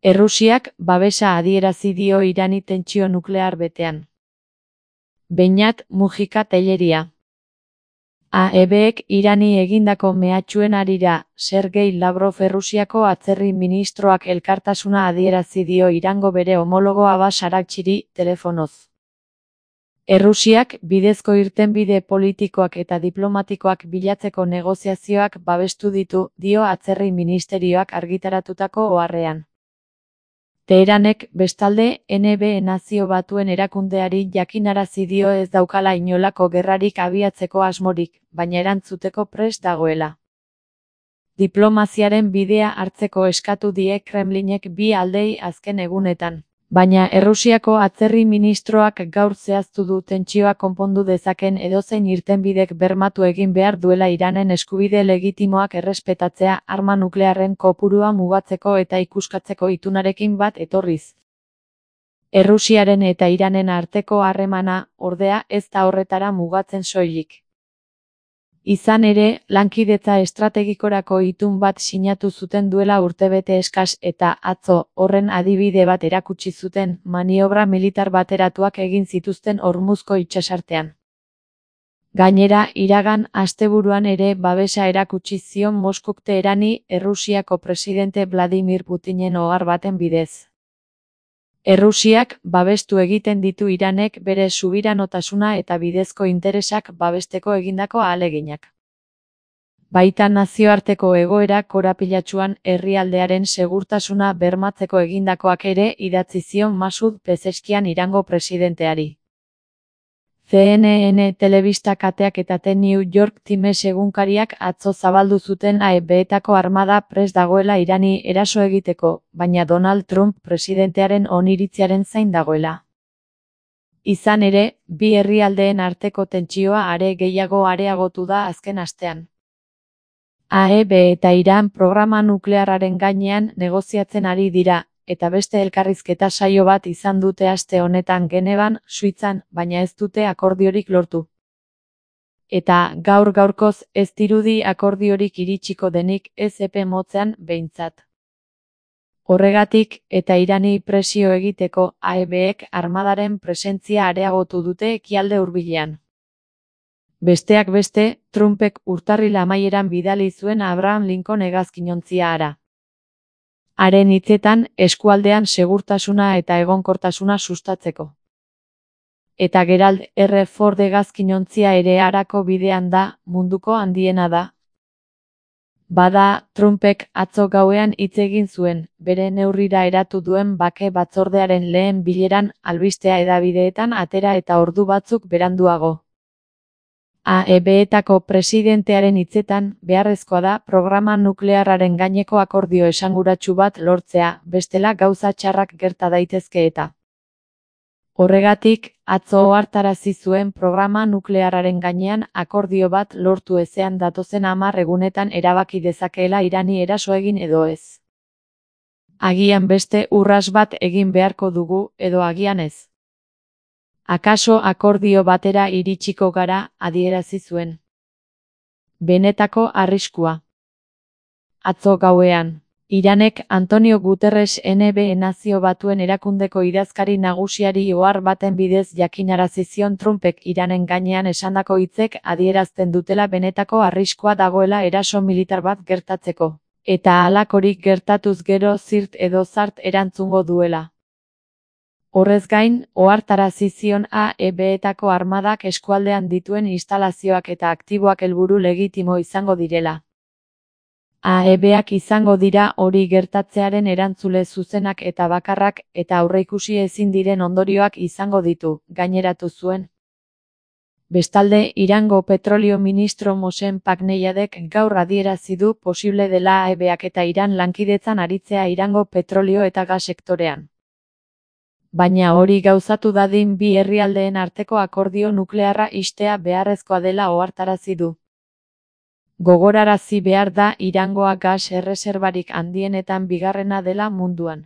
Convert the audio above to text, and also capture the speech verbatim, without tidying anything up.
Errusiak babesa adierazi dio Irani tentsio nuklear betean. Beñat Mujika Telleria. A E Bek Irani egindako mehatxuen harira, Sergei Lavrov Errusiako atzerri ministroak elkartasuna adierazi dio Irango bere homologo Abbas Araghchiri telefonoz. Errusiak bidezko irtenbide politikoak eta diplomatikoak bilatzeko negoziazioak babestu ditu, dio atzerri ministerioak argitaratutako oharrean. Teheranek, bestalde, N B Nazio Batuen erakundeari jakinarazi dio ez daukala inolako gerrarik abiatzeko asmorik, baina erantzuteko prest dagoela. Diplomaziaren bidea hartzeko eskatu die Kremlinek bi aldeei azken egunetan. Baina Errusiako atzerri ministroak gaur zehaztu du tentsioa konpondu dezaken edozein irtenbidek bermatu egin behar duela Iranen eskubide legitimoak errespetatzea arma nuklearren kopurua mugatzeko eta ikuskatzeko itunarekin bat etorriz. Errusiaren eta Iranen arteko harremana, ordea, ez da horretara mugatzen soilik. Izan ere, lankidetza estrategikorako itun bat sinatu zuten duela urtebete eskas eta atzo horren adibide bat erakutsi zuten maniobra militar bateratuak egin zituzten Hormuzko itsasartean. Gainera, iragan asteburuan ere babesa erakutsi zion Moskuk Teherani Errusiako presidente Vladimir Putinen ohar baten bidez. Errusiak babestu egiten ditu Iranek bere subiranotasuna eta bidezko interesak babesteko egindako ahaleginak. Baita nazioarteko egoera korapilatsuan herrialdearen segurtasuna bermatzeko egindakoak ere idatzi zion Masud Pezeskian Irango presidenteari. C N N telebista kateak eta The New York Times egunkariak atzo zabaldu zuten A E Betako armada prest dagoela Irani eraso egiteko, baina Donald Trump presidentearen oniritziaren zain dagoela. Izan ere, bi herrialdeen arteko tentsioa are gehiago areagotu da azken astean. A E B eta Iran programa nuklearraren gainean negoziatzen ari dira, eta beste elkarrizketa saio bat izan dute aste honetan Genevan, Suitzan, baina ez dute akordiorik lortu. Eta gaur gaurkoz ez dirudi akordiorik iritsiko denik ez epe motzean behintzat. Horregatik, eta Irani presio egiteko A E Bek armadaren presentzia areagotu dute ekialde hurbilean. Besteak beste, Trumpek urtarril amaieran bidali zuen Abraham Lincoln hegazkinontzia hara. Haren hitzetan, eskualdean segurtasuna eta egonkortasuna sustatzeko. Eta Gerald R. Ford hegazkinontzia ere harako bidean da, munduko handiena da. Bada, Trumpek atzo gauean hitz egin zuen, bere neurrira eratu duen bake batzordearen lehen bileran albistea hedabideetan atera eta ordu batzuk beranduago. A E Betako presidentearen hitzetan, beharrezkoa da programa nuklearraren gaineko akordio esanguratsu bat lortzea, bestela gauza txarrak gerta daitezke eta. Horregatik, atzo ohartarazi zuen programa nuklearraren gainean akordio bat lortu ezean datozen hamar egunetan erabaki dezakeela Irani eraso egin edo ez. Agian beste urras bat egin beharko dugu, edo agian ez. Akaso akordio batera iritsiko gara, adierazi zuen. Benetako arriskua. Atzo gauean, Iranek Antonio Guterres N B Nazio Batuen erakundeko idazkari nagusiari ohar baten bidez jakinarazi zion Trumpek Iranen gainean esandako hitzek adierazten dutela benetako arriskua dagoela eraso militar bat gertatzeko, eta halakorik gertatuz gero zirt edo zart erantzungo duela. Horrez gain, ohartarazi zion A E Betako armadak eskualdean dituen instalazioak eta aktiboak helburu legitimo izango direla. A E Bak izango dira hori gertatzearen erantzule zuzenak eta bakarrak eta aurreikusi ezin diren ondorioak izango ditu, gaineratu zuen. Bestalde, Irango petrolio ministro Mohsen Paknejadek gaur adierazi du posible dela A E Bak eta Iran lankidetzan aritzea Irango petrolio eta gas sektorean. Baina hori gauzatu dadin bi herrialdeen arteko akordio nuklearra ixtea beharrezkoa dela ohartarazi du. Gogorarazi behar da Irangoa gas erreserbarik handienetan bigarrena dela munduan.